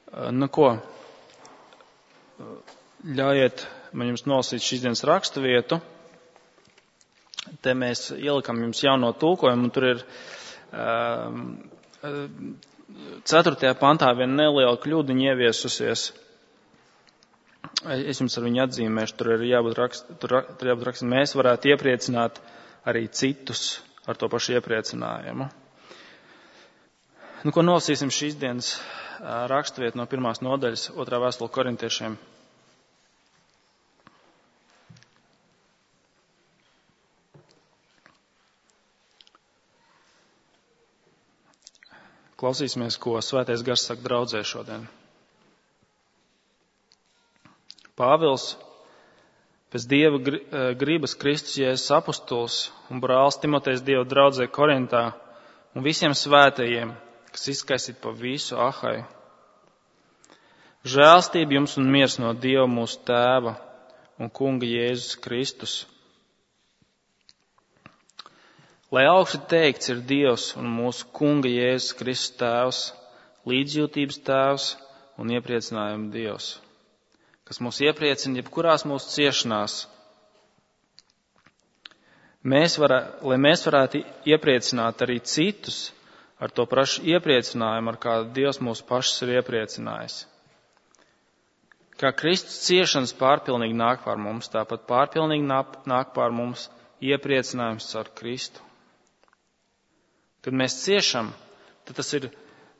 Nu ko, ļaujiet man jums nolasīt šīs dienas rakstu vietu. Te mēs ielikam jums jauno tulkojumu, un tur ir 4. pantā viena neliela kļūdiņa ieviesusies. Es jums ar viņu atzīmēšu, tur ir jābūt raksts, mēs varētu iepriecināt arī citus ar to pašu iepriecinājumu. Nu, ko nolasīsim šīs dienas raksturvietu no 1. nodaļas 2. vēstule korintiešiem. Klausīsimies, ko Svētais Gars saka draudzē šodien. Pāvils, pēc Dieva gribas Kristus Jēzus apustulis un brālis Timotejs Dieva draudzē Korintā un visiem svētajiem, kas izkaisīt pa visu Ahaju. Žēlstība jums un miers no Dieva mūsu Tēva un Kunga Jēzus Kristus. Lai augsti teikts ir Dievs un mūsu Kunga Jēzus Kristus Tēvs, līdzjūtības Tēvs un iepriecinājuma Dievs, kas mūs iepriecina jebkurās mūsu ciešanās. Lai mēs varētu iepriecināt arī citus ar to pašu iepriecinājumu, ar kādu Dievs mūs pašus ir iepriecinājis. Kā Kristus ciešanas pārpilnīgi nāk pār mums, tāpat pārpilnīgi nāk pār mums iepriecinājums ar Kristu. Kad mēs ciešam, tad tas ir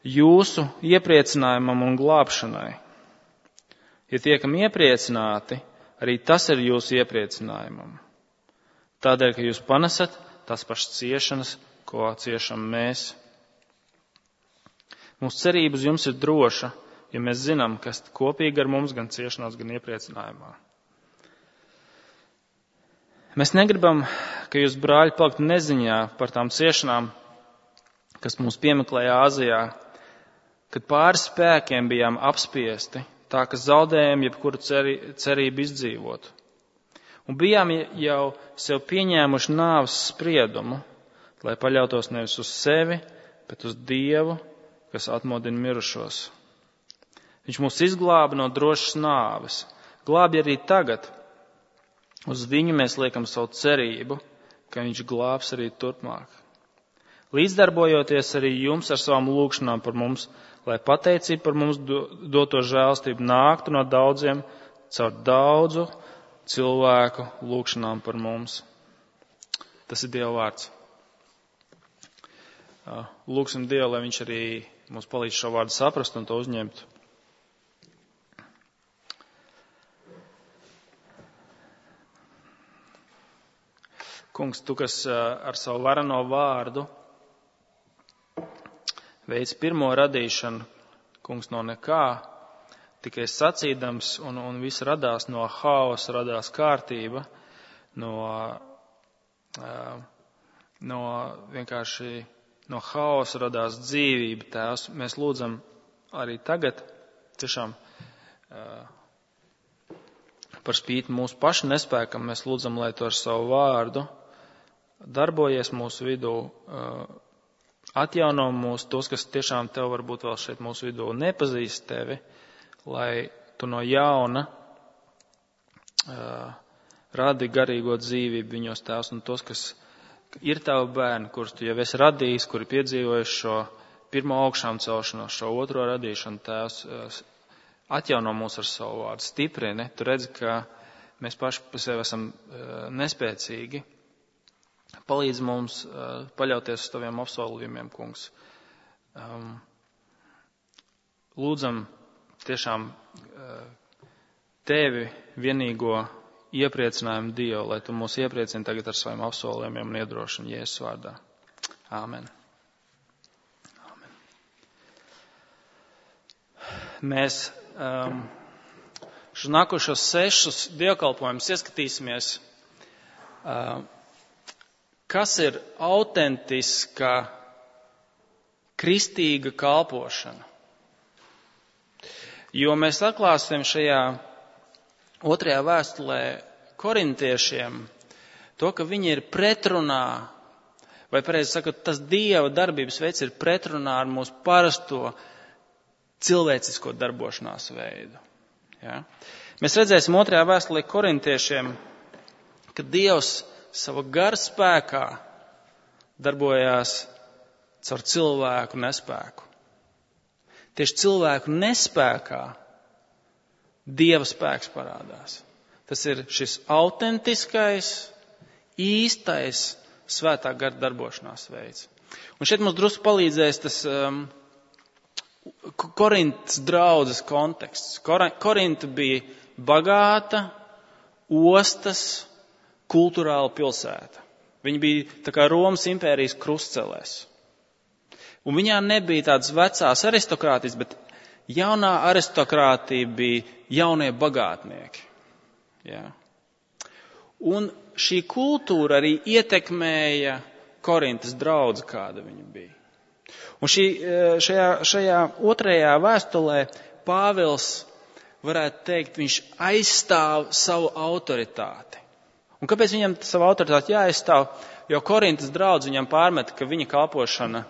jūsu iepriecinājumam un glābšanai. Ja tiekam iepriecināti, arī tas ir jūsu iepriecinājumam. Tādēļ, ka jūs panesat tās pašas ciešanas, ko ciešam mēs. Mūsu cerība uz jums ir droša, jo mēs zinām, kas kopīgi ar mums gan ciešanās, gan iepriecinājumā. Mēs negribam, ka jūs, brāļi, paliktu neziņā par tām ciešanām, kas mūs piemeklēja Āzijā, kad pāri spēkiem bijām apspiesti, tā ka zaudējām jebkuru cerību izdzīvot. Un bijām jau sev pieņēmuši nāves spriedumu, lai paļautos nevis uz sevi, bet uz Dievu, kas atmodina mirušos. Viņš mūs izglāba no drošas nāves, glābj arī tagad. Uz viņu mēs liekam savu cerību, ka viņš glābs arī turpmāk. Līdzdarbojoties arī jums ar savām lūgšanām par mums, lai pateicība par mums doto žēlstību nāktu no daudziem caur daudzu cilvēku lūgšanām par mums. Tas ir Dieva vārds. Lūgsim Dievu, lai viņš arī mums palīdz šo vārdu saprast un to uzņemt. Kungs, tu, kas ar savu varano vārdu veids pirmo radīšanu, kungs, no nekā, tikai sacīdams, un viss radās no haosa, radās kārtība, vienkārši no haosa radās dzīvība, Tēvs. Mēs lūdzam arī tagad, tiešām par spīti mūsu pašu nespēkam, mēs lūdzam, lai tu ar savu vārdu darbojies mūsu vidū, atjauno mūs, tos, kas tiešām tev varbūt vēl šeit mūsu vidū nepazīst tevi, lai tu no jauna radi garīgo dzīvību viņos, Tēvs, un tos, kas ir tavi bērni, kurus tu jau esi radījis, kuri piedzīvojuši šo pirmo augšām celšanos, šo otro radīšanu, Tēvs, atjauno mūs ar savu vārdu, stiprini. Tu redzi, ka mēs paši par sevi esam nespēcīgi. Palīdz mums paļauties uz taviem apsolījumiem, kungs. Lūdzam tiešām tevi vienīgo iepriecinājumu Dievu, lai tu mūs iepriecini tagad ar saviem apsolījumiem un iedrošini Jēzus vārdā. Āmen. Āmen. Mēs šos nākošos 6 dievkalpojumus ieskatīsimies, kas ir autentiska kristīga kalpošana. Jo mēs atklāsim šajā 2. vēstulē korintiešiem to, ka viņi ir pretrunā, vai pareizi sakot, tas Dieva darbības veids ir pretrunā ar mūsu parasto cilvēcisko darbošanās veidu. Ja? Mēs redzēsim 2. vēstulē korintiešiem, ka Dievs sava gara spēkā darbojās caur cilvēku nespēku. Tieši cilvēku nespēkā Dieva spēks parādās. Tas ir šis autentiskais, īstais svētā gara darbošanās veids. Un šeit mums drusku palīdzēs tas Korintas draudzes konteksts. Korinta bija bagāta, ostas, kulturāla pilsēta. Viņa bija tā kā Romas impērijas krustcelēs. Un viņā nebija tādas vecās aristokrātijas, bet jaunā aristokrātija bija jaunie bagātnieki. Ja. Un šī kultūra arī ietekmēja Korintas draudzi, kāda viņa bija. Un šajā 2. vēstulē Pāvils, varētu teikt, viņš aizstāv savu autoritāti. Un kāpēc viņam savu autoritāti jāaizstāv? Jo Korintas draudzi viņam pārmet, ka viņa kalpošana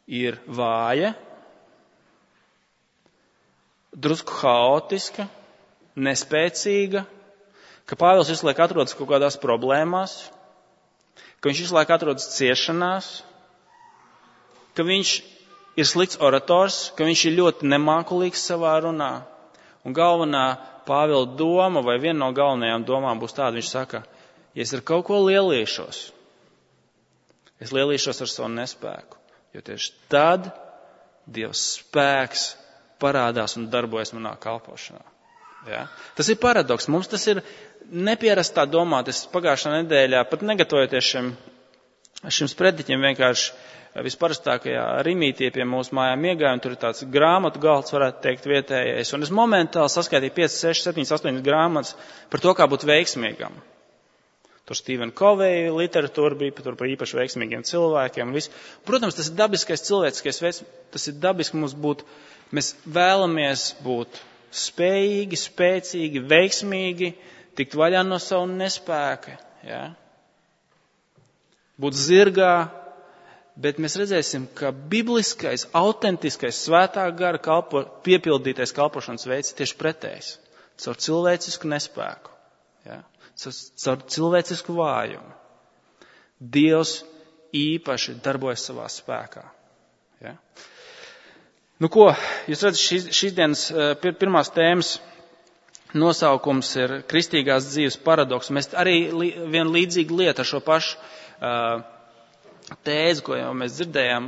ir vāja, drusku haotiska, nespēcīga, ka Pāvils visu laiku atrodas kaut kādās problēmās, ka viņš visu laiku atrodas ciešanās, ka viņš ir slikts orators, ka viņš ir ļoti nemākulīgs savā runā. Un galvenā Pāvila doma, vai viena no galvenajām domām būs tāda, viņš saka, ja es ar kaut ko lielīšos, es lielīšos ar savu nespēku, jo tieši tad Dieva spēks parādās un darbojas manā kalpošanā. Ja? Tas ir paradoks. Mums tas ir nepierastā domāt. Es pagājušā nedēļā, pat negatavojoties šim sprediķim, vienkārši visparastākajā Rimītī pie mūsu mājām iegāju, un tur ir tāds grāmatu galds, varētu teikt, vietējais. Un es momentāli saskaitīju 5, 6, 7, 8 grāmatas par to, kā būt veiksmīgam. Tur Stephen Covey literatūra bija tur par īpaši veiksmīgiem cilvēkiem. Protams, tas ir dabiskais cilvēciskais veids, tas ir dabiski mums būt, mēs vēlamies būt spējīgi, spēcīgi, veiksmīgi, tikt vaļā no savu nespēka, ja? Būt zirgā, bet mēs redzēsim, ka bibliskais, autentiskais, svētā gara piepildītais kalpošanas veids tieši pretējs, caur cilvēcisku nespēku, ja? Caur cilvēcisku vājumu. Dievs īpaši darbojas savā spēkā. Ja? Nu ko, jūs redzat, šīs dienas pirmās tēmas nosaukums ir kristīgās dzīves paradoks. Mēs arī vienu līdzīgu lietu ar šo pašu tēzi, ko jau mēs dzirdējām,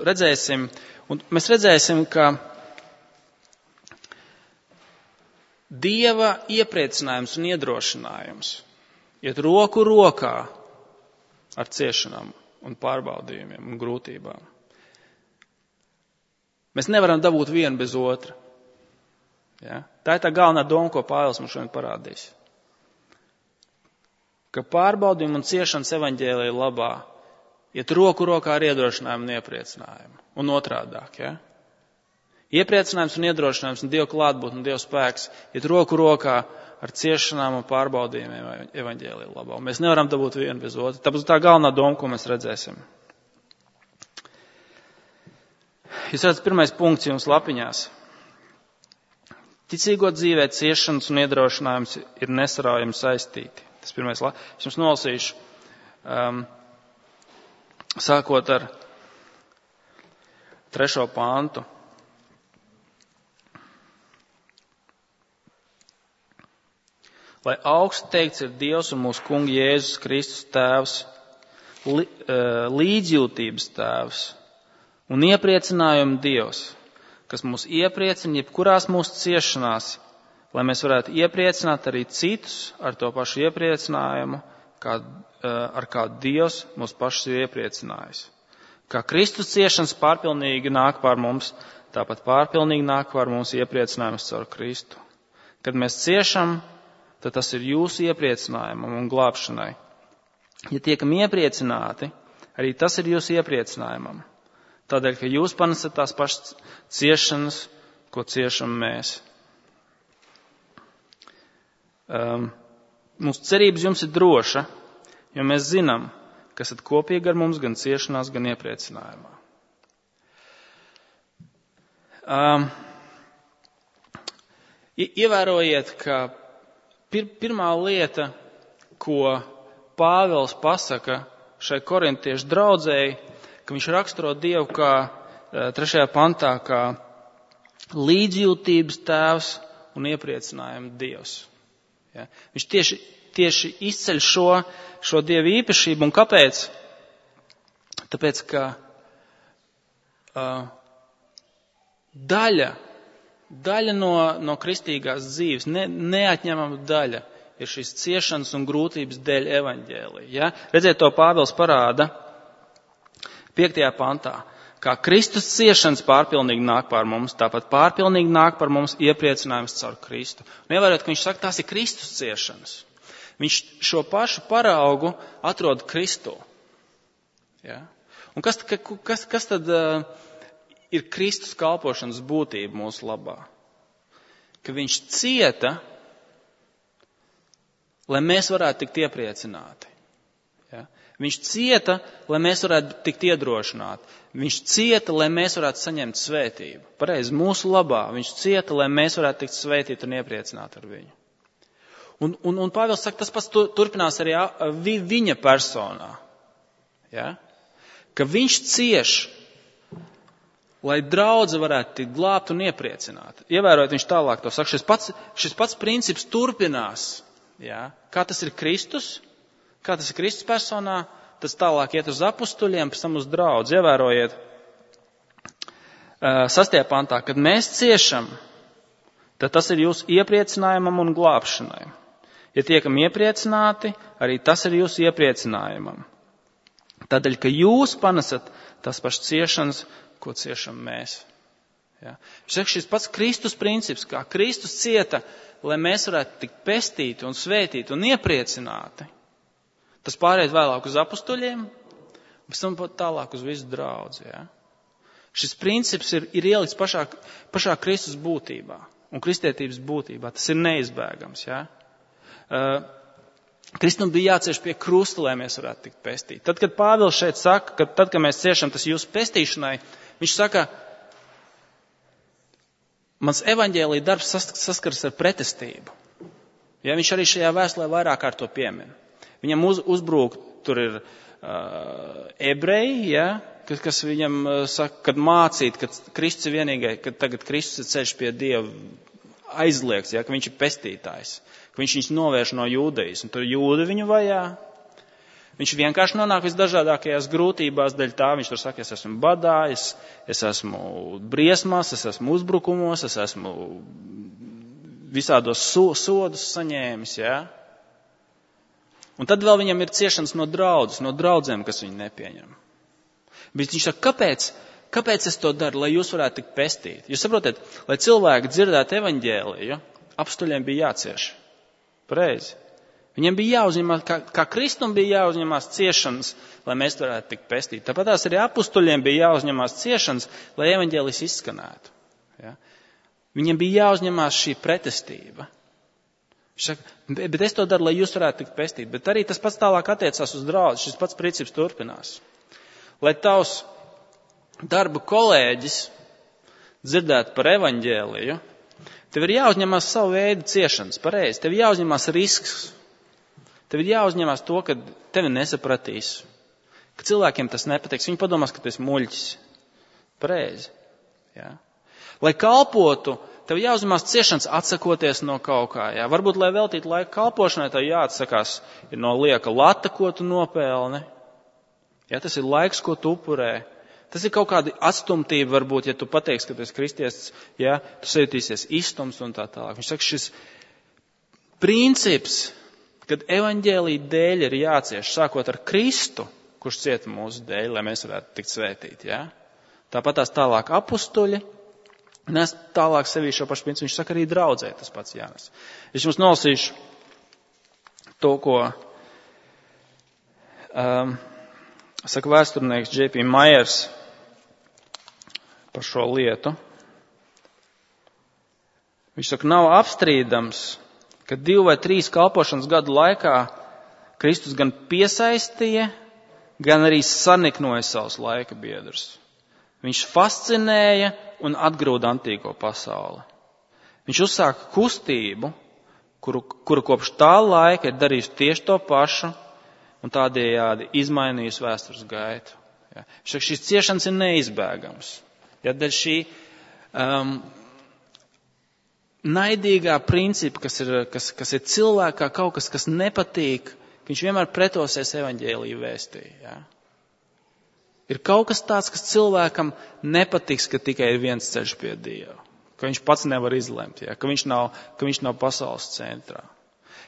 redzēsim. Un mēs redzēsim, ka Dieva iepriecinājums un iedrošinājums iet roku rokā ar ciešanām un pārbaudījumiem un grūtībām. Mēs nevaram dabūt vienu bez otra. Ja? Tā ir tā galvenā doma, ko Pāvils mums šodien parādīs. Ka pārbaudījumi un ciešanas evaņģēlija labā iet roku rokā ar iedrošinājumu un iepriecinājumu. Un otrādāk, ja? Iepriecinājums un iedrošinājums un Dieva klātbūtne un Dieva spēks iet roku rokā ar ciešanām un pārbaudījumiem evaņģēlija labā. Un mēs nevaram dabūt vienu bez otra. Tā būs tā galvenā doma, ko mēs redzēsim. Jūs redzat, pirmais punkts jums lapiņās. Ticīgo dzīvē ciešanas un iedrošinājums ir nesaraujami saistīti. Tas pirmais. Es jums nolasīšu, sākot ar 3. pāntu. Lai augsts teikts ir Dievs un mūsu kunga Jēzus Kristus tēvs, līdzjūtības tēvs un iepriecinājuma Dievs, kas mūs iepriecina jebkurās mūsu ciešanās, lai mēs varētu iepriecināt arī citus ar to pašu iepriecinājumu, ar kādu Dievs mūs pašus ir iepriecinājis. Kā Kristus ciešanas pārpilnīgi nāk pār mums, tāpat pārpilnīgi nāk pār mums iepriecinājums caur Kristu. Kad mēs ciešam, tad tas ir jūsu iepriecinājumam un glābšanai. Ja tiekam iepriecināti, arī tas ir jūsu iepriecinājumam. Tādēļ, ka jūs panesat tās pašas ciešanas, ko ciešam mēs. Mūsu cerības jums ir droša, jo mēs zinām, ka esat kopīgi ar mums gan ciešanās, gan iepriecinājumā. Ievērojiet, ka pirmā lieta, ko Pāvils pasaka šai korintiešu draudzēji, ka viņš raksturo Dievu kā 3. pantā, kā līdzjūtības tēvs un iepriecinājuma Dievs. Ja? Viņš tieši izceļ šo Dievu īpašību. Un kāpēc? Tāpēc, ka daļa no kristīgās dzīves, neatņemama daļa, ir šīs ciešanas un grūtības dēļ evaņģēlija. Ja? Redziet, to Pāvils parāda 5. pantā. Kā Kristus ciešanas pārpilnīgi nāk pār mums, tāpat pārpilnīgi nāk par mums iepriecinājums caur Kristu. Un ievērot, ka viņš saka, tās ir Kristus ciešanas. Viņš šo pašu paraugu atrod Kristū. Ja? Un kas tad ir Kristus kalpošanas būtība mūsu labā? Ka viņš cieta, lai mēs varētu tikt iepriecināti. Ja? Viņš cieta, lai mēs varētu tikt iedrošināti. Viņš cieta, lai mēs varētu saņemt svētību. Pareizi, mūsu labā. Viņš cieta, lai mēs varētu tikt svētīti un iepriecināti ar viņu. Un Pāvils saka, tas pats turpinās arī viņa personā. Ja? Ka viņš cieš, lai draudze varētu tikt glābt un iepriecināt. Ievērojot, viņš tālāk to saka, šis pats princips turpinās. Ja? Kā tas ir Kristus? Kā tas ir Kristus personā? Tas tālāk iet uz apustuļiem, pēc tam uz draudzi. Ievērojiet 6. pantā, kad mēs ciešam, tad tas ir jūsu iepriecinājumam un glābšanai. Ja tiekam iepriecināti, arī tas ir jūsu iepriecinājumam. Tādēļ, ka jūs panesat tās pašas ciešanas, ko ciešam mēs. Ja? Viņš saka, šis pats Kristus princips, kā Kristus cieta, lai mēs varētu tikt pestīti un svētīti un iepriecināti. Tas pārējais vēlāk uz apustuļiem, pēc tam tālāk uz visu draudzi. Ja? Šis princips ir ielikts pašā Kristus būtībā un kristietības būtībā. Tas ir neizbēgams. Ja? Kristum bija jācieš pie krusta, lai mēs varētu tikt pestīti. Tad, kad Pāvils šeit saka, ka tad, kad mēs ciešam tas jūsu pestīšanai, viņš saka, mans evaņģēlija darbs saskaras ar pretestību. Ja? Viņš arī šajā vēstulē vairāk kārt to piemin. Viņam uzbrūk, tur ir ebreji, ja, kas viņam saka, kad mācīt, ka Kristus ir vienīgai, ka tagad Kristus ir ceļš pie Dieva aizliegts, ja, ka viņš ir pestītājs, ka viņš viņus novērš no jūdejas, un tur jūdi viņu vajā. Viņš vienkārši nonāk visdažādākajās grūtībās, dēļ tā viņš tur saka, es esmu badā, es esmu briesmās, es esmu uzbrukumos, es esmu visādos sodus saņēmis, ja. Un tad vēl viņam ir ciešanas no draudzēm, kas viņu nepieņem. Bet viņš saka, kāpēc es to daru, lai jūs varētu tikt pestīti? Jūs saprotat, lai cilvēki dzirdētu evaņģēliju, apustuļiem bija jācieš. Pareizi. Viņiem bija jāuzņemās, kā Kristum bija jāuzņemās ciešanas, lai mēs varētu tikt pestīti. Tāpat tās arī apustuļiem bija jāuzņemās ciešanas, lai evaņģēlijs izskanētu. Ja? Viņiem bija jāuzņemās šī pretestība. Viņš saka, bet es to daru, lai jūs varētu tikt pestīti. Bet arī tas pats tālāk attiecās uz draudzi. Šis pats princips turpinās. Lai tavs darba kolēģis dzirdētu par evaņģēliju, tev ir jāuzņemās savu veidu ciešanas. Pareizi. Tev ir jāuzņemās risks. Tev ir jāuzņemās to, ka tevi nesapratīs. Ka cilvēkiem tas nepatiks. Viņi padomās, ka tu esi muļķis. Pareizi. Ja? Lai kalpotu, tev jāuzņemās ciešanas atsakoties no kaut kā. Jā. Varbūt, lai veltītu laiku kalpošanai, tev jāatsakās no lieka lata, ko tu nopelni. Jā, tas ir laiks, ko tu upurē. Tas ir kaut kāda atstumtība, varbūt, ja tu pateiksi, ka tu esi kristietis, jā, tu sajūtīsies izstums un tā tālāk. Viņš saka, šis princips, kad evaņģēlija dēļ ir jācieš, sākot ar Kristu, kurš cieta mūsu dēļ, lai mēs varētu tikt svētīti. Jā. Tāpat tās tālāk apustuļi. Nes tālāk sevī šo pašu principu, viņš saka arī draudzē, tas pats jānes. Es jums nolasīšu to, ko saka vēsturnieks J.P. Myers par šo lietu. Viņš saka, nav apstrīdams, ka 2 vai 3 kalpošanas gadu laikā Kristus gan piesaistīja, gan arī saniknoja savus laika biedrus. Viņš fascinēja un atgrūda antīko pasauli. Viņš uzsāka kustību, kuru kopš tā laika ir darījusi tieši to pašu un tādējādi izmainījusi vēstures gaitu. Ja. Šīs ciešanas ir neizbēgams. Ja, dēļ šī naidīgā principa, kas ir cilvēkā kaut kas nepatīk, viņš vienmēr pretosies evaņģēliju vēstī. Ja. Ir kaut kas tāds, kas cilvēkam nepatiks, ka tikai ir viens ceļš pie Dieva. Ka viņš pats nevar izlemt, ja. Ka viņš nav pasaules centrā.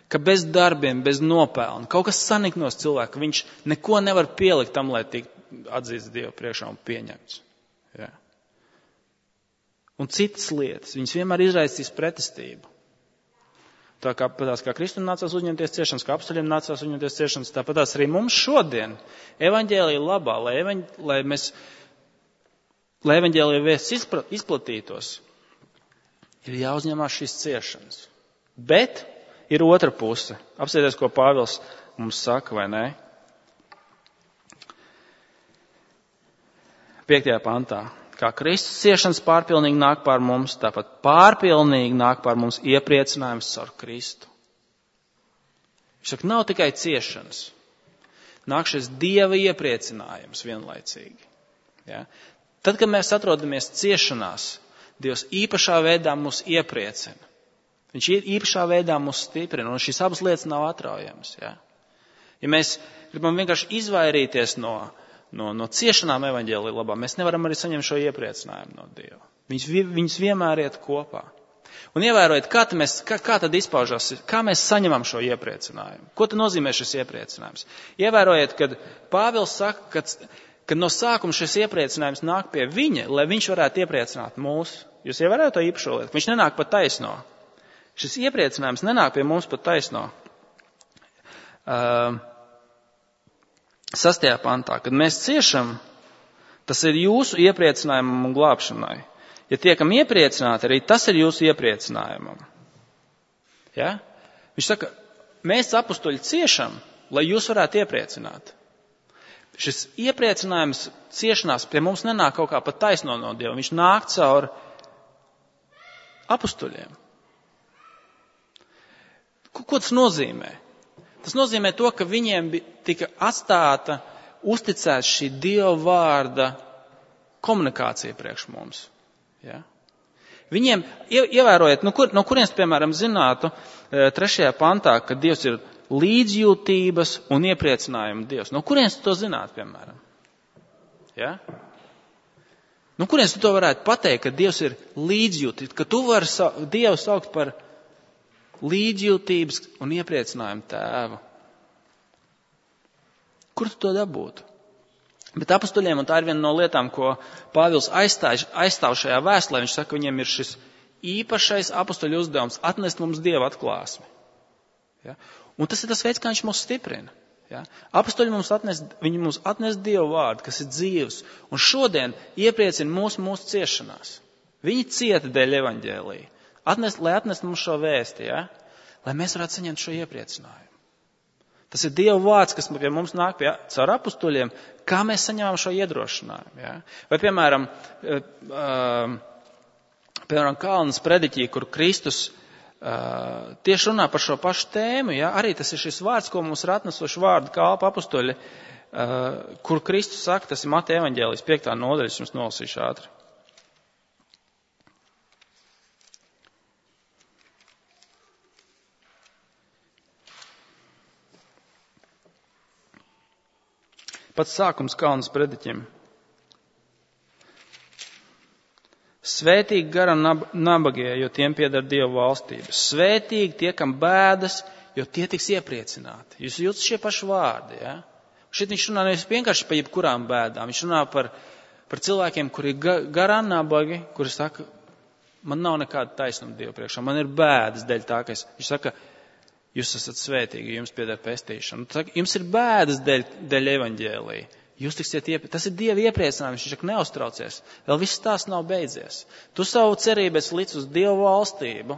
Ka bez darbiem, bez nopelna, kaut kas saniknos cilvēku, ka viņš neko nevar pielikt tam, lai tiktu atzīts Dieva priekšā un pieņemts. Ja. Un citas lietas, viņas vienmēr izraisīs pretestību. Tāpatās kā Kristum nācās uzņemties ciešanas, kā apstuļiem nācās uzņemties ciešanas, tāpatās arī mums šodien evaņģēlija labā, lai evaņģēlija vēsts izplatītos, ir jāuzņemās šīs ciešanas. Bet ir otra puse. Apsieties, ko Pāvils mums saka, vai ne? 5. pantā. Kā Kristus ciešanas pārpilnīgi nāk pār mums, tāpat pārpilnīgi nāk pār mums iepriecinājums caur Kristu. Viņš saka, nav tikai ciešanas. Nāk šis Dieva iepriecinājums vienlaicīgi. Ja? Tad, kad mēs atrodamies ciešanās, Dievs īpašā veidā mūs iepriecina. Viņš īpašā veidā mūs stiprina, un šīs abas lietas nav atraujamas. Ja, ja mēs gribam vienkārši izvairīties no ciešanām evaņģēlija labā, mēs nevaram arī saņemt šo iepriecinājumu no Dieva. Viņas vienmēr iet kopā. Un ievērojiet, kā tad izpaužās, kā mēs saņemam šo iepriecinājumu. Ko tad nozīmē šis iepriecinājums? Ievērojiet, kad Pāvils saka, kad no sākuma šis iepriecinājums nāk pie viņa, lai viņš varētu iepriecināt mūs. Jūs ievērojat to īpašo lietu? Viņš nenāk pa taisno. Šis iepriecinājums nenāk pie mums pa taisno. 6. pantā, kad mēs ciešam, tas ir jūsu iepriecinājumam un glābšanai. Ja tiekam iepriecināti, arī tas ir jūsu iepriecinājumam. Ja? Viņš saka, mēs apustuļi ciešam, lai jūs varētu iepriecināt. Šis iepriecinājums ciešanās pie mums nenāk kaut kā pat taisno no Dieva. Viņš nāk caur apustuļiem. Ko tas nozīmē? Tas nozīmē to, ka viņiem tika atstāta, uzticēta šī Dieva vārda komunikācija priekš mums. Ja? Viņiem, ievērojiet, no kurienes, piemēram, zinātu 3. pantā, ka Dievs ir līdzjūtības un iepriecinājuma Dievs. No kurienes tu to zinātu, piemēram? Ja? No kurienes tu to varētu pateikt, ka Dievs ir līdzjūtības, ka tu vari Dievu saukt par līdzjūtības un iepriecinājumu tēvu. Kur tu to dabūtu? Bet apustuļiem, un tā ir viena no lietām, ko Pāvils aizstāv šajā vēstulē, viņš saka, viņiem ir šis īpašais apustuļu uzdevums atnest mums Dieva atklāsmi. Ja? Un tas ir tas veids, kā viņš mūs stiprina. Ja? Apustuļi mums atnes Dieva vārdu, kas ir dzīvs, un šodien iepriecina mūsu ciešanās. Viņi cieta dēļ evaņģēlija. Lai atnest mums šo vēsti, ja? Lai mēs varētu saņemt šo iepriecinājumu. Tas ir Dieva vārds, kas pie mums nāk caur apustuļiem, kā mēs saņemam šo iedrošinājumu. Ja? Vai, piemēram, Kalnas prediķī, kur Kristus tieši runā par šo pašu tēmu, ja? Arī tas ir šis vārds, ko mums ir atnesuši vārdu kalpa apustuļi, kur Kristus saka, tas ir Mateja evaņģēlijas 5. nodaļa, jums nolasīšu ātri. Pats sākums Kalnas prediķim. Svētīgi garam nabagie, jo tiem pieder Dieva valstība. Svētīgi tie, kam bēdas, jo tie tiks iepriecināti. Jūs jūtat šie paši vārdi, ja? Šeit viņš runā nevis vienkārši par jebkurām bēdām. Viņš runā par cilvēkiem, kuri ir garām nabagi, kuri saka, man nav nekāda taisnuma Dieva priekšā. Man ir bēdas dēļ tā, ka viņš saka, jūs esat svētīgi, jums pieder pestīšana. Jums ir bēdas dēļ evaņģēlija. Jūs tiksiet tas ir Dieva iepriecinājums, viņš saka, neuztraucies. Vēl viss tās nav beidzies. Tu savu cerību esi licis uz Dieva valstību,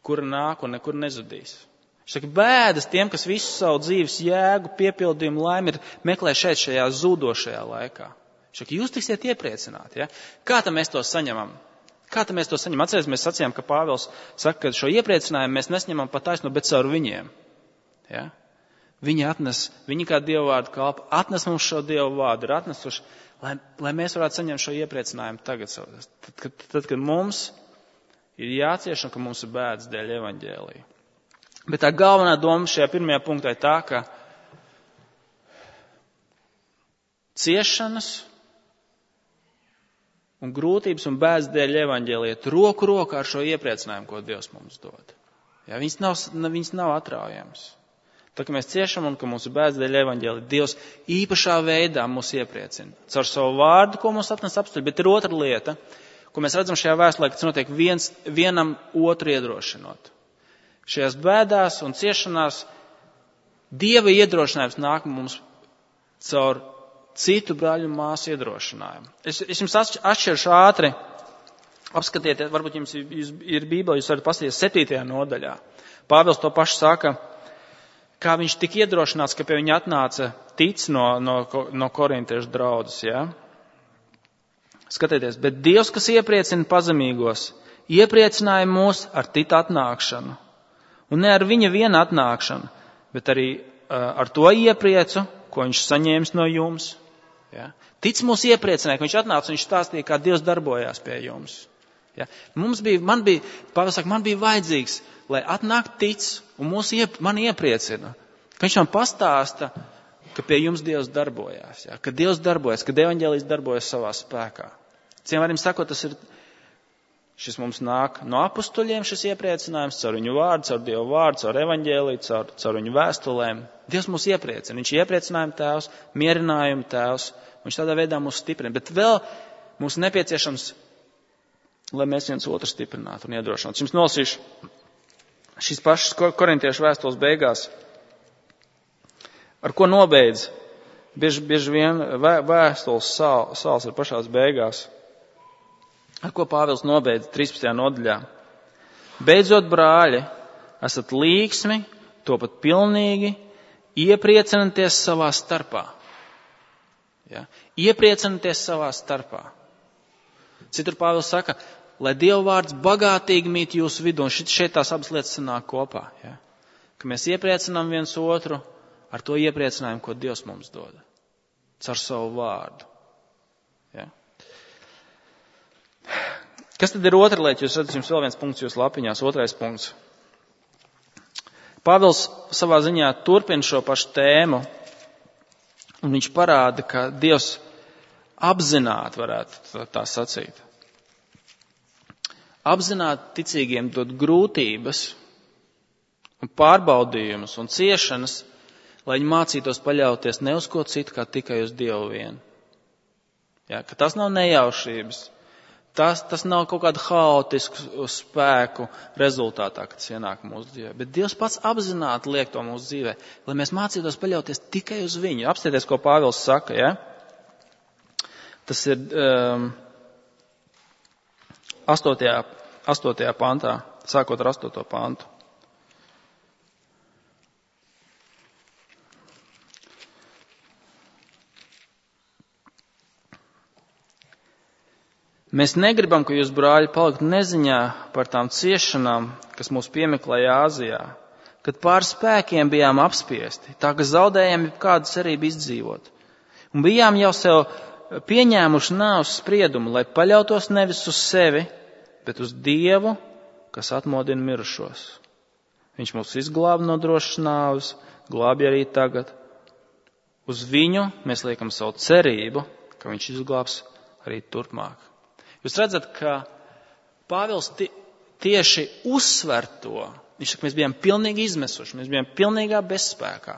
kura nāk un nekur nezudīs. Viņš saka, bēdas tiem, kas visu savu dzīves jēgu, piepildījumu, laimi ir meklē šajā zūdošajā laikā. Saka, jūs tiksiet iepriecināti. Ja? Kā tam mēs to saņemam? Atcerieties, mēs sacījām, ka Pāvils saka, ka šo iepriecinājumu mēs nesņemam pa taisno, bet caur viņiem. Ja? Viņi kā Dievu vārdu kalpa, atnes mums šo Dievu vārdu, ir atnesuši, lai mēs varētu saņemt šo iepriecinājumu tagad. Tad, kad mums ir jācieš un ka mums ir bēdas dēļ evaņģēlija. Bet tā galvenā doma šajā pirmajā punktā ir tā, ka ciešanas un grūtības un bēdas dēļ evaņģēlija iet roku rokā ar šo iepriecinājumu, ko Dievs mums dod. Ja, viņas nav atraujams. Tā, ka mēs ciešam un ka mums ir bēdas dēļ evaņģēlija, Dievs īpašā veidā mūs iepriecina. Caur savu vārdu, ko mums atnes apstuļi, bet ir otra lieta, ko mēs redzam šajā vēstulē, ka tas notiek vienam otru iedrošinot. Šajās bēdās un ciešanās Dieva iedrošinājums nāk mums caur citu brāļu un māsu iedrošinājumu. Es jums atšķiršu ātri, apskatieties, varbūt jums ir Bībele, jūs varat paskatīties 7. nodaļā. Pāvils to pašu saka, kā viņš tika iedrošināts, ka pie viņa atnāca tic no korintiešu draudzes, ja? Skatieties, bet Dievs, kas iepriecina pazemīgos, iepriecināja mūs ar Tita atnākšanu. Un ne ar viņa viena atnākšanu, bet arī ar to iepriecu, ko viņš saņēmis no jums. Ja? Tic mūs iepriecināja, ka viņš atnāca un viņš stāstīja, kā Dievs darbojās pie jums. Ja? Pāvils saka, man bija vajadzīgs, lai atnāk tic un man iepriecina. Ka viņš man pastāsta, ka pie jums Dievs darbojās. Ja? Ka Dievs darbojas, ka evaņģēlijs darbojas savā spēkā. Ciem varam sakot, šis mums nāk no apustuļiem, šis iepriecinājums, caur viņu vārdu, caur Dievu vārdu, caur evaņģēliju, caur viņu vēstulēm. Dievs mūs iepriecina. Viņš ir iepriecinājuma tēvs, mierinājuma tēvs. Viņš tādā veidā mūs stiprina. Bet vēl mums nepieciešams, lai mēs viens otru stiprinātu un iedrošinātu. Jums nolasīšu šīs pašas korintiešu vēstules beigās. Ar ko nobeidz? Bieži vien vēstules sāls ir pašās beigās. Ar ko Pāvils nobeidz 13. nodaļā? Beidzot, brāļi, esat līksmi, topat pilnīgi, iepriecināties savā starpā. Ja? Iepriecināties savā starpā. Citur Pāvils saka, lai Dieva vārds bagātīgi mīt jūsu vidū, un šeit tās abas lietas sanāk kopā. Ja? Ka mēs iepriecinām viens otru ar to iepriecinājumu, ko Dievs mums dod. Caur savu vārdu. Ja? Kas tad ir otra lieta? Jūs redzat, jums vēl viens punkts jūsu lapiņās, otrais punkts. Pāvils savā ziņā turpina šo pašu tēmu, un viņš parāda, ka Dievs apzināti varētu tā sacīt. Apzināti ticīgiem dod grūtības un pārbaudījumus un ciešanas, lai viņi mācītos paļauties ne uz ko citu, kā tikai uz Dievu vienu. Ja, ka tas nav nejaušības, tas nav kaut kādu haotisku spēku rezultātā, kad tas ienāk mūsu dzīvē. Bet Dievs pats apzināti liek to mūsu dzīvē, lai mēs mācītos paļauties tikai uz viņu. Apstieties, ko Pāvils saka, ja? Tas ir 8. pantā, sākot ar 8. pantu. Mēs negribam, ka jūs, brāļi, paliktu neziņā par tām ciešanām, kas mūs piemeklēja Āzijā, kad pār spēkiem bijām apspiesti, tā ka zaudējām kādu cerību izdzīvot. Un bijām jau sev pieņēmuši nāves spriedumu, lai paļautos nevis uz sevi, bet uz Dievu, kas atmodina mirušos. Viņš mūs izglāba no drošas nāves, glābj arī tagad. Uz viņu mēs liekam savu cerību, ka viņš izglābs arī turpmāk. Jūs redzat, ka Pāvils tieši uzsver to. Viņš saka, mēs bijām pilnīgi izmesuši, mēs bijām pilnīgā bezspēkā.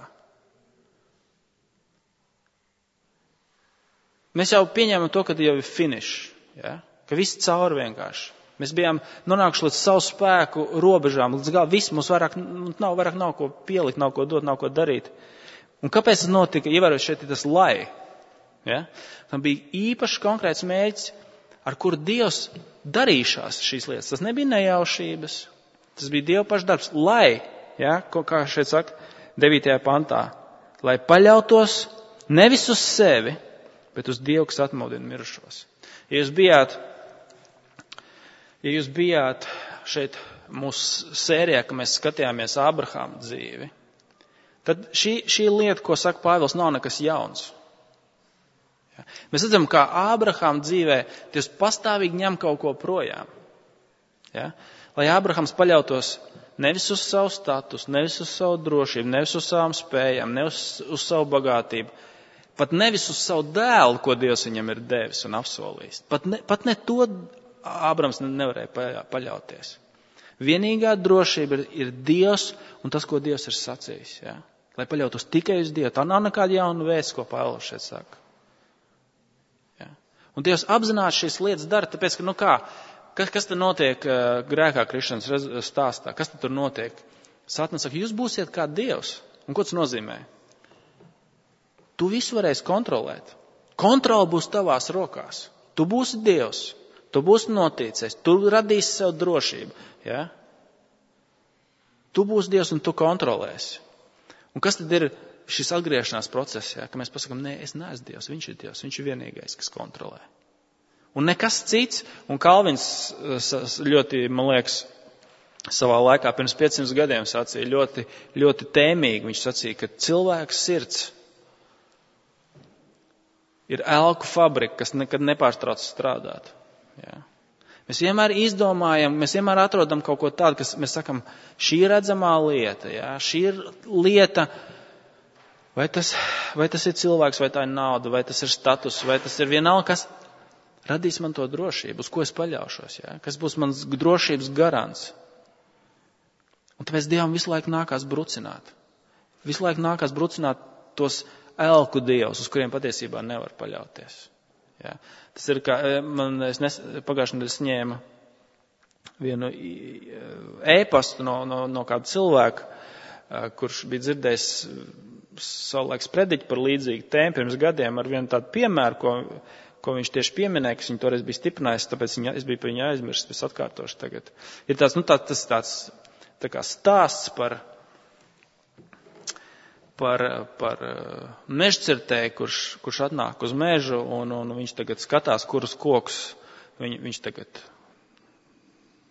Mēs jau pieņēmām to, ka jau ir finish, ja? Ka viss cauri vienkārši. Mēs bijām nonākuši līdz savu spēku robežām, līdz galu viss mums vairāk nav ko pielikt, nav ko dot, nav ko darīt. Un kāpēc tas notika? Ievērot šeit ir tas lai. Ja? Tam bija īpaši konkrēts mērķis, ar kuru Dievs darīšās šīs lietas. Tas nebija nejaušības, tas bija Dieva paša darbs, lai, ja, kā šeit saka, 9. pantā, lai paļautos nevis uz sevi, bet uz Dievu, kas atmodina mirušos. Ja jūs bijāt šeit mūsu sērijā, ka mēs skatījāmies Ābrahāma dzīvi, tad šī lieta, ko saka Pāvils, nav nekas jauns. Ja? Mēs redzam, kā Ābrahāma dzīvē Dievs pastāvīgi ņem kaut ko projām. Ja? Lai Ābrahams paļautos nevis uz savu statusu, nevis uz savu drošību, nevis uz savām spējām, nevis uz savu bagātību, pat nevis uz savu dēlu, ko Dievs viņam ir devis un apsolījis. Pat ne to Ābrams nevarēja paļauties. Vienīgā drošība ir Dievs un tas, ko Dievs ir sacījis. Ja? Lai paļautos tikai uz Dievu. Tā nav nekāda jauna vēsts, ko Pāvils šeit saka. Ja? Un Dievs apzināti šīs lietas dara, tāpēc, ka, kas tad notiek grēkā krišanas stāstā? Kas tad tur notiek? Sātans saka, jūs būsiet kā Dievs. Un ko tas nozīmē? Tu visu varēsi kontrolēt. Kontrola būs tavās rokās. Tu būsi Dievs. Tu būsi noticies. Tu radīsi sev drošību. Ja? Tu būsi Dievs un tu kontrolēsi. Un kas tad ir šis atgriešanās process? Ja? Ka mēs pasakam, nē, es neesmu Dievs, viņš ir Dievs, viņš ir vienīgais, kas kontrolē. Un nekas cits, un Kalvins ļoti, man liekas, savā laikā pirms 500 gadiem sacīja ļoti, ļoti tēmīgi. Viņš sacīja, ka cilvēks sirds ir elku fabrika, kas nekad nepārtrauc strādāt. Ja? Mēs vienmēr izdomājam, mēs vienmēr atrodam kaut ko tādu, kas mēs sakam, šī ir redzamā lieta, ja? Šī ir lieta, vai tas ir cilvēks, vai tā ir nauda, vai tas ir status, vai tas ir vienalga, kas radīs man to drošību, uz ko es paļaušos, ja? Kas būs mans drošības garants. Un tāpēc Dievam visu laiku nākās brucināt. Visu laiku nākās brucināt tos elku dievus, uz kuriem patiesībā nevar paļauties. Ja? Tas ir kā, pagājušajā nedēļā ņēma vienu ēpastu no kāda cilvēka, kurš bija dzirdējis savulaiks prediķi par līdzīgu tēmu pirms gadiem ar vienu tādu piemēru, ko viņš tieši pieminēja, kas viņu toreiz bija stiprinājis, tāpēc es biju par viņu aizmirsis, es atkārtošu tagad. Ir tāds, tas tā kā stāsts par mežcirtēju, kurš atnāk uz mežu, un viņš tagad skatās, kurus kokus viņš tagad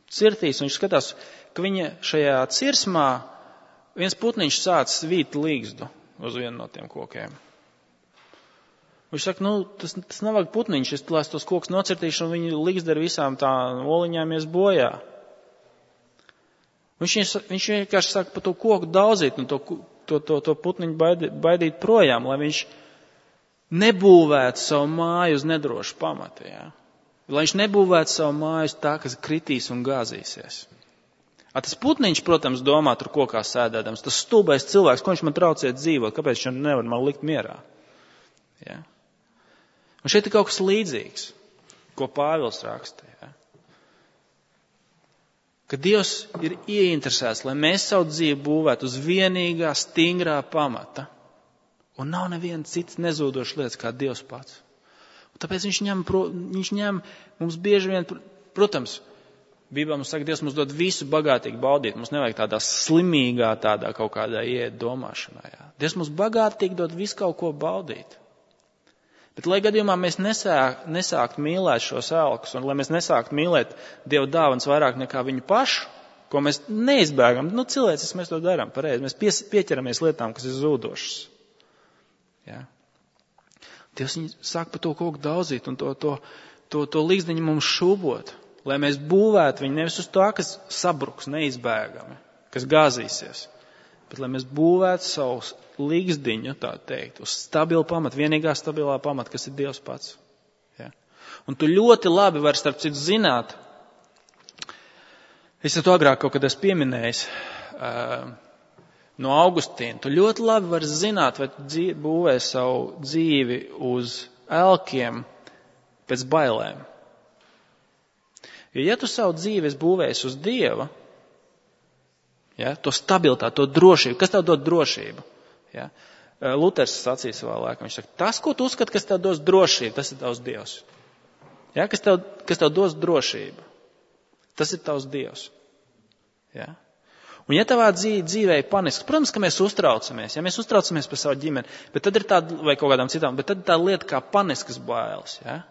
cirtīs, un viņš skatās, ka viņa šajā cirsmā viens putniņš sāc svīt līgzdu uz vienu no tiem kokiem. Viņš saka, tas nav vajag putniņš, es tos kokus nocirtīšu, un viņa līgzda ar visām tā oliņām ies bojā. Viņš vienkārši saka par to koku daudzīt, un to putniņu baidīt projām, lai viņš nebūvētu savu māju uz nedrošu pamata. Ja? Lai viņš nebūvētu savu māju uz tā, kas kritīs un gāzīsies. Tas putniņš, protams, domā tur kokā sēdēdams, tas stulbais cilvēks, ko viņš man traucē dzīvot, kāpēc viņš nevar man likt mierā. Ja? Un šeit ir kaut kas līdzīgs, ko Pāvils raksta. Ja? Ka Dievs ir ieinteresēts, lai mēs savu dzīvi būvētu uz vienīgā, stingrā pamata. Un nav neviena cits nezūdošs lietas kā Dievs pats. Un tāpēc viņš ņem mums bieži vien, protams, Bībelē mums saka, Dievs mums dod visu bagātīgi baudīt. Mums nevajag tādā slimīgā, tādā kaut kādā iet domāšanā. Jā. Dievs mums bagātīgi dod visu kaut ko baudīt. Bet, lai gadījumā mēs nesākt mīlēt šos elkus, un lai mēs nesākt mīlēt Dieva dāvanas vairāk nekā viņu pašu, ko mēs neizbēgam, cilvēcis mēs to darām pareizi, mēs pieķeramies lietām, kas ir zūdošas. Ja? Dievs sāk par to koku daudzīt un to līgzdiņu mums šūbot, lai mēs būvētu viņu nevis uz to, kas sabruks neizbēgami, kas gāzīsies, bet lai mēs būvētu savus līgzdiņu, tā teikt, uz stabilu pamatu, vienīgā stabilā pamata, kas ir Dievs pats. Ja? Un tu ļoti labi vari starp citu zināt, es to agrāk kaut kad esmu pieminējis no Augustīna, tu ļoti labi vari zināt, vai tu būvē savu dzīvi uz elkiem pēc bailēm. Jo ja tu savu dzīvi esi būvējis uz Dieva, ja, to stabilitāti, to drošību, kas tev dod drošību? Ja? Luters sacīja savā laikā, viņš saka, tas, ko tu uzskati, kas tev dos drošību, tas ir tavs Dievs. Ja? Kas tev dos drošību, tas ir tavs Dievs. Ja? Un ja tavā dzīvē ir panisks, protams, ka mēs uztraucamies, ja mēs uztraucamies par savu ģimeni, bet tad ir tāda, vai kaut kādām citām, bet tad ir tā lieta kā paniskas bailes, ja?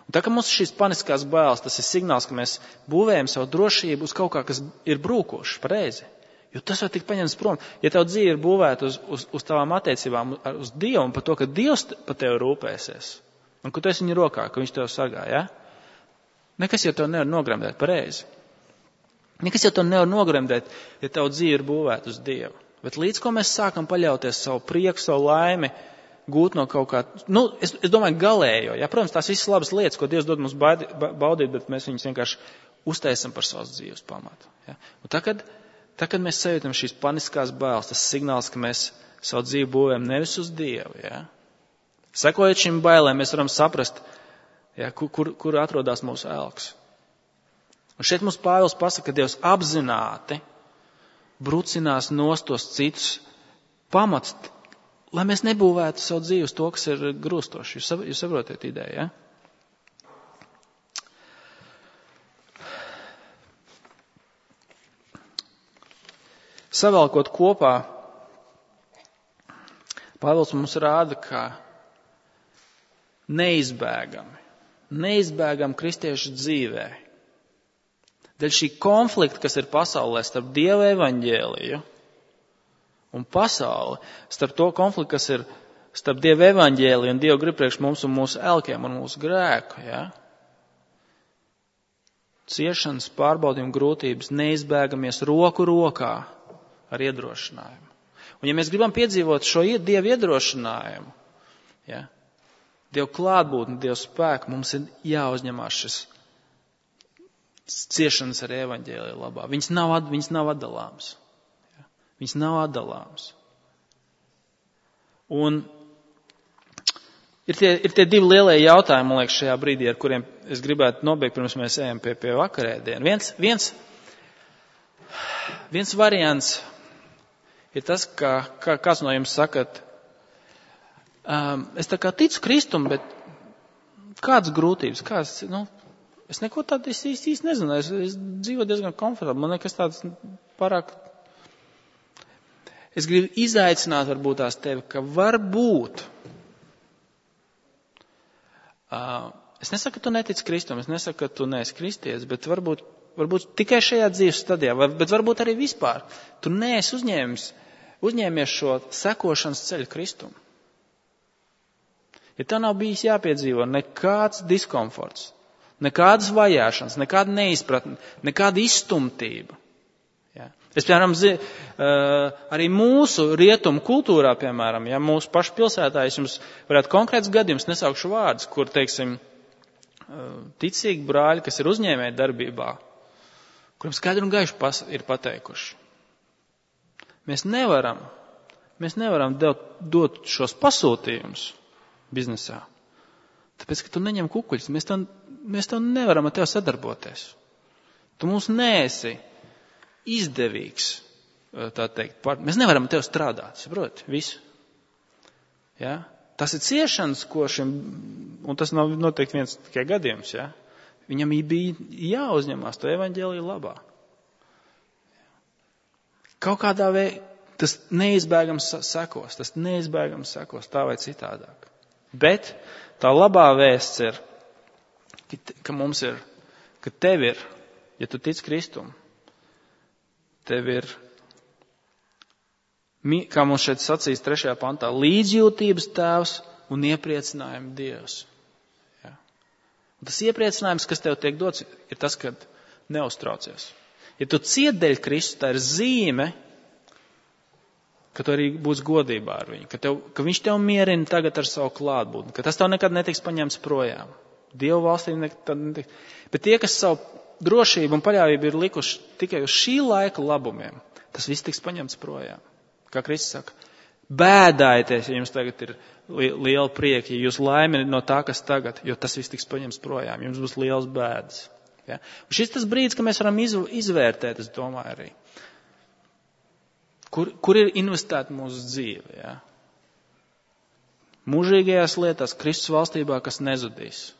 Un tā, ka mums šīs paniskās bailes, tas ir signāls, ka mēs būvējam savu drošību uz kaut kā, kas ir brūkošs, pareizi. Jo tas var tikt paņemts prom. Ja tev dzīve ir būvēta uz tavām attiecībām, uz Dievu un par to, ka Dievs par tevi rūpēsies, un ka tu esi viņa rokā, ka viņš tev sargā, ja? Nekas jau tev nevar nogremdēt, pareizi. Nekas jau tev nevar nogremdēt, ja tev dzīve ir būvēta uz Dievu. Bet līdz ko mēs sākam paļauties savu prieku, savu laimi, gūt no kaut kā, es domāju galējo, ja? Protams, tās visas labas lietas, ko Dievs dod mums baudīt, bet mēs viņus vienkārši uztaisam par savas dzīves pamatu. Ja? Un tā, kad mēs sajūtam šīs paniskās bailes, tas signāls, ka mēs savu dzīvi būvējam nevis uz Dievu. Ja? Sekojot šīm bailēm, mēs varam saprast, ja, kur atrodas mūsu elks. Un šeit mums Pāvils pasaka, ka Dievs apzināti brucinās nost tos citus pamats, lai mēs nebūvētu savu dzīvi uz to, kas ir grūstoši. Jūs saprotiet ideju, ja? Savalkot kopā, Pāvils mums rāda, ka neizbēgam kristiešu dzīvē, dēļ šī konflikta, kas ir pasaulē starp Dieva evaņģēliju un pasauli, starp to konfliktu, kas ir starp Dieva evaņģēliju un Dievu grib priekš mums un mūsu elkiem un mūsu grēku, ja? Ciešanas, pārbaudījumi, grūtības neizbēgamies roku rokā ar iedrošinājumu. Un ja mēs gribam piedzīvot šo Dievu iedrošinājumu, ja, Dievu klātbūtni, Dievu spēku, mums ir jāuzņemās šis ciešanas ar evaņģēliju labā. Viņas nav atdalāmas. Ja, viņas nav atdalāmas. Un ir tie divi lielie jautājumi, man liekas, šajā brīdī, ar kuriem es gribētu nobeigt, pirms mēs ejam pie vakarēdienu. Viens variants ir tas, ka kāds no jums sakat, es tā kā ticu Kristum, bet kādas grūtības, es neko tādu īsti nezinu, es dzīvoju diezgan komfortabli, man nekas tāds pārāk. Es gribu izaicināt varbūt tās tevi, ka varbūt, es nesaku, ka tu netici Kristum, es nesaku, ka tu neesi kristietis, bet varbūt tikai šajā dzīves stadijā, bet varbūt arī vispār, tu neesi uzņēmies šo sekošanas ceļu Kristum. Ja tev nav bijis jāpiedzīvo nekāds diskomforts, nekādas vajāšanas, nekāda neizpratne, nekāda izstumtība. Ja. Es, piemēram, arī mūsu rietumu kultūrā, piemēram, ja mūsu pašu pilsētā, es jums varētu konkrēts gadījums, nesaukšu vārdus, kur, teiksim, ticīgi brāļi, kas ir uzņēmēji darbībā, kuriem skaidri un gaiši ir pateikuši. Mēs nevaram dot šos pasūtījumus biznesā. Tāpēc, ka tu neņem kukuļus, mēs tev nevaram ar tevi sadarboties. Tu mums neesi izdevīgs, tā teikt. Mēs nevaram ar tevi strādāt, saproti, visu. Ja? Tas ir ciešanas, un tas nav noteikti viens tikai gadījums, ja? Viņam bija jāuzņemās to evaņģēliju labā. Kaut kādā veidā tas neizbēgams sekos, tā vai citādāk. Bet tā labā vēsts ir, ka tev ir, ja tu tic Kristum, tev ir, kā mums šeit sacīs 3. pantā, līdzjūtības tēvs un iepriecinājuma Dievs. Ja? Un tas iepriecinājums, kas tev tiek dots, ir tas, ka neuztraucies. Ja tu ciet dēļ Kristus, tā ir zīme, ka tu arī būs godībā ar viņu, ka viņš tev mierina tagad ar savu klātbūtni, ka tas tev nekad netiks paņemts projām. Dievu valstī nekad netiks. Bet tie, kas savu drošību un paļāvību ir likuši tikai uz šī laika labumiem, tas viss tiks paņemts projām. Kā Kristus saka, bēdājieties, ja jums tagad ir liela prieka, ja jūs laimi no tā, kas tagad, jo tas viss tiks paņemts projām, jums būs liels bēdas. Ja? Un šis tas brīdis, ka mēs varam izvērtēt, es domāju arī. Kur ir investēta mūsu dzīve? Ja? Mūžīgajās lietās, Kristus valstībā, kas nezudīs.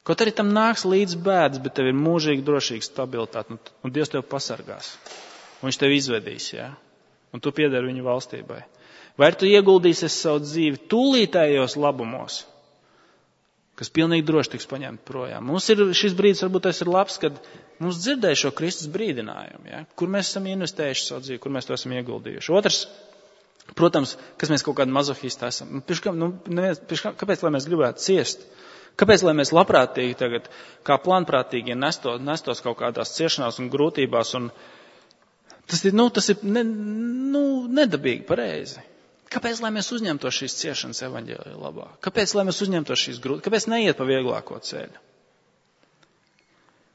Kaut arī tam nāks līdz bēdas, bet tev ir mūžīgi drošīga stabilitāte, un Dievs tev pasargās. Un viņš tev izvedīs, ja? Un tu piedari viņu valstībai. Vai tu ieguldīsies savu dzīvi tūlītējos labumos, kas pilnīgi droši tiks paņemt projām? Mums ir šis brīdis, varbūt tas ir labs, kad mums dzirdēja šo Kristus brīdinājumu, ja? Kur mēs esam investējuši savu dzīvi, kur mēs to esam ieguldījuši. Otrs, protams, kas mēs kaut kādi mazohisti esam. Kāpēc, lai mēs gribētu ciest? Kāpēc, lai mēs labprātīgi tagad, kā plānprātīgi, nestos kaut kādās ciešanās un grūtībās? Un tas ir nedabīgi pareizi. Kāpēc, lai mēs uzņemtos šīs ciešanas evaņģēlija labā? Kāpēc, lai mēs uzņemtos šīs grūtības? Kāpēc neiet pa vieglāko ceļu?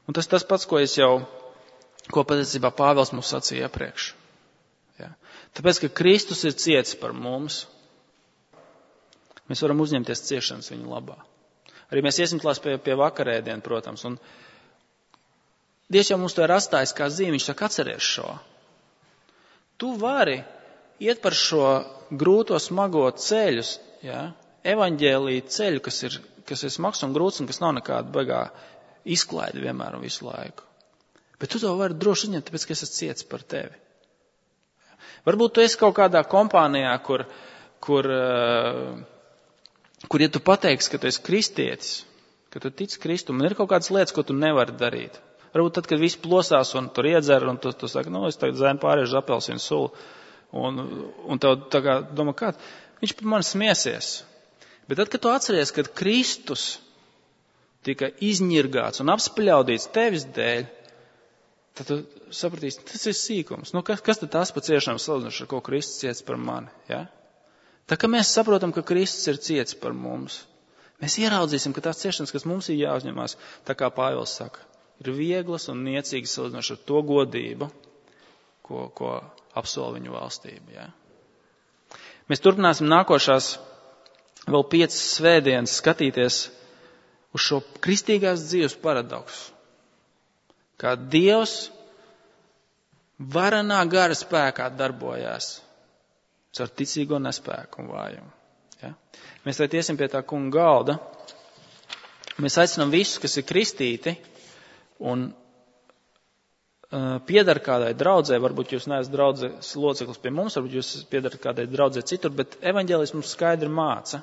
Un tas pats, ko patiesībā Pāvils mums sacīja iepriekš. Ja? Tāpēc, ka Kristus ir cietis par mums, mēs varam uzņemties ciešanas viņa labā. Arī mēs iesim klās pie vakarēdienu, protams. Un Dievs jau mums to ir atstājis kā zīmi, viņš saka, atceries šo. Tu vari iet par šo grūto, smago ceļus, ja? Evaņģēlija ceļu, kas ir smags un grūts un kas nav nekāda baigā izklaide vienmēr un visu laiku. Bet tu to vari droši uzņemt, tāpēc, ka es esmu cietis par tevi. Varbūt tu esi kaut kādā kompānijā, kur ja tu pateiksi, ka tu esi kristietis, ka tu tici Kristum, un ir kaut kādas lietas, ko tu nevari darīt. Varbūt tad, kad viss plosās un tur iedzer, un tu saki, es tagad zēnu pāriešu apelsīnu sulu, un tev tā kā domā, kā, viņš par mani smiesies. Bet tad, kad tu atceries, kad Kristus tika izņirgāts un apspļaudīts tevis dēļ, tad tu sapratīsi, tas ir sīkums. Kas tad tās pa ciešanām salīdzinoši ar ko Kristus ciets par mani, ja? Tā kā mēs saprotam, ka Kristus ir cietis par mums, mēs ieraudzīsim, ka tās ciešanas, kas mums ir jāuzņemās, tā kā Pāvils saka, ir vieglas un niecīgas salīdzinoši ar to godību, ko apsola viņu valstība. Ja? Mēs turpināsim nākošās vēl 5 svētdienas skatīties uz šo kristīgās dzīves paradoksu. Kā Dievs varenā gara spēkā darbojās ar ticīgo nespēku un vājumu. Ja? Mēs tagad iesim pie tā kunga galda. Mēs aicinām visus, kas ir kristīti un piedar kādai draudzē, varbūt jūs neesat draudzes loceklis pie mums, varbūt jūs piedarat kādai draudzē citur, bet evaņģēlis mums skaidri māca,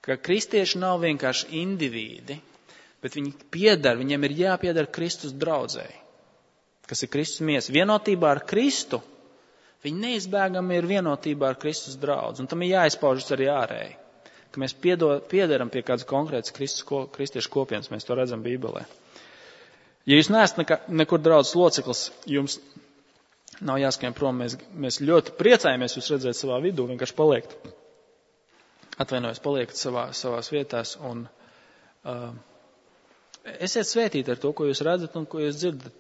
ka kristieši nav vienkārši indivīdi, bet viņi piedar, viņiem ir jāpiedar Kristus draudzē, kas ir Kristus miesa. Vienotībā ar Kristu viņi neizbēgami ir vienotībā ar Kristus draudzi, un tam ir jāizpaužas arī ārēji, ka mēs piederam pie kādas konkrētas kristiešu kopienas, mēs to redzam Bībelē. Ja jūs neesat nekur draudzes loceklis, jums nav jāskrien prom, mēs ļoti priecājamies jūs redzēt savā vidū, vienkārši paliekat savās vietās, un esiet svētīti ar to, ko jūs redzat un ko jūs dzirdat